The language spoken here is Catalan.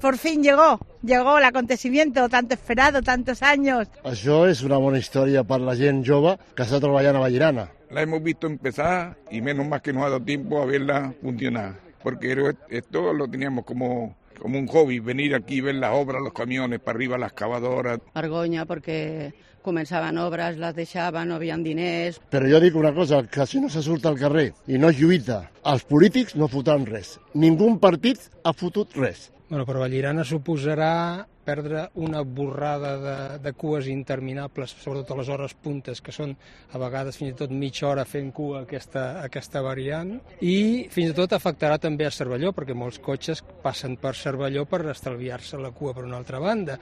Por fin llegó el acontecimiento tanto esperado, tantos años. Això és una bona història per la gent jove que està treballant a Vallirana. La hemos visto empezar y menos mal que nos ha dado tiempo a verla funcionar, porque esto lo teníamos como un hobby, venir aquí, ver las obras, los camiones, para arriba las excavadoras. Vergonya perquè començaven obres, les deixaven, no havien diners. Però jo dic una cosa, que si no se surt al carrer i no es lluita, els polítics no fotran res. Ningú partit ha fotut res. Bueno, per Vallirana suposarà perdre una borrada de cues interminables, sobretot a les hores puntes, que són a vegades fins i tot mitja hora fent cua aquesta variant, i fins i tot afectarà també a Cervelló, perquè molts cotxes passen per Cervelló per estalviar-se la cua per una altra banda.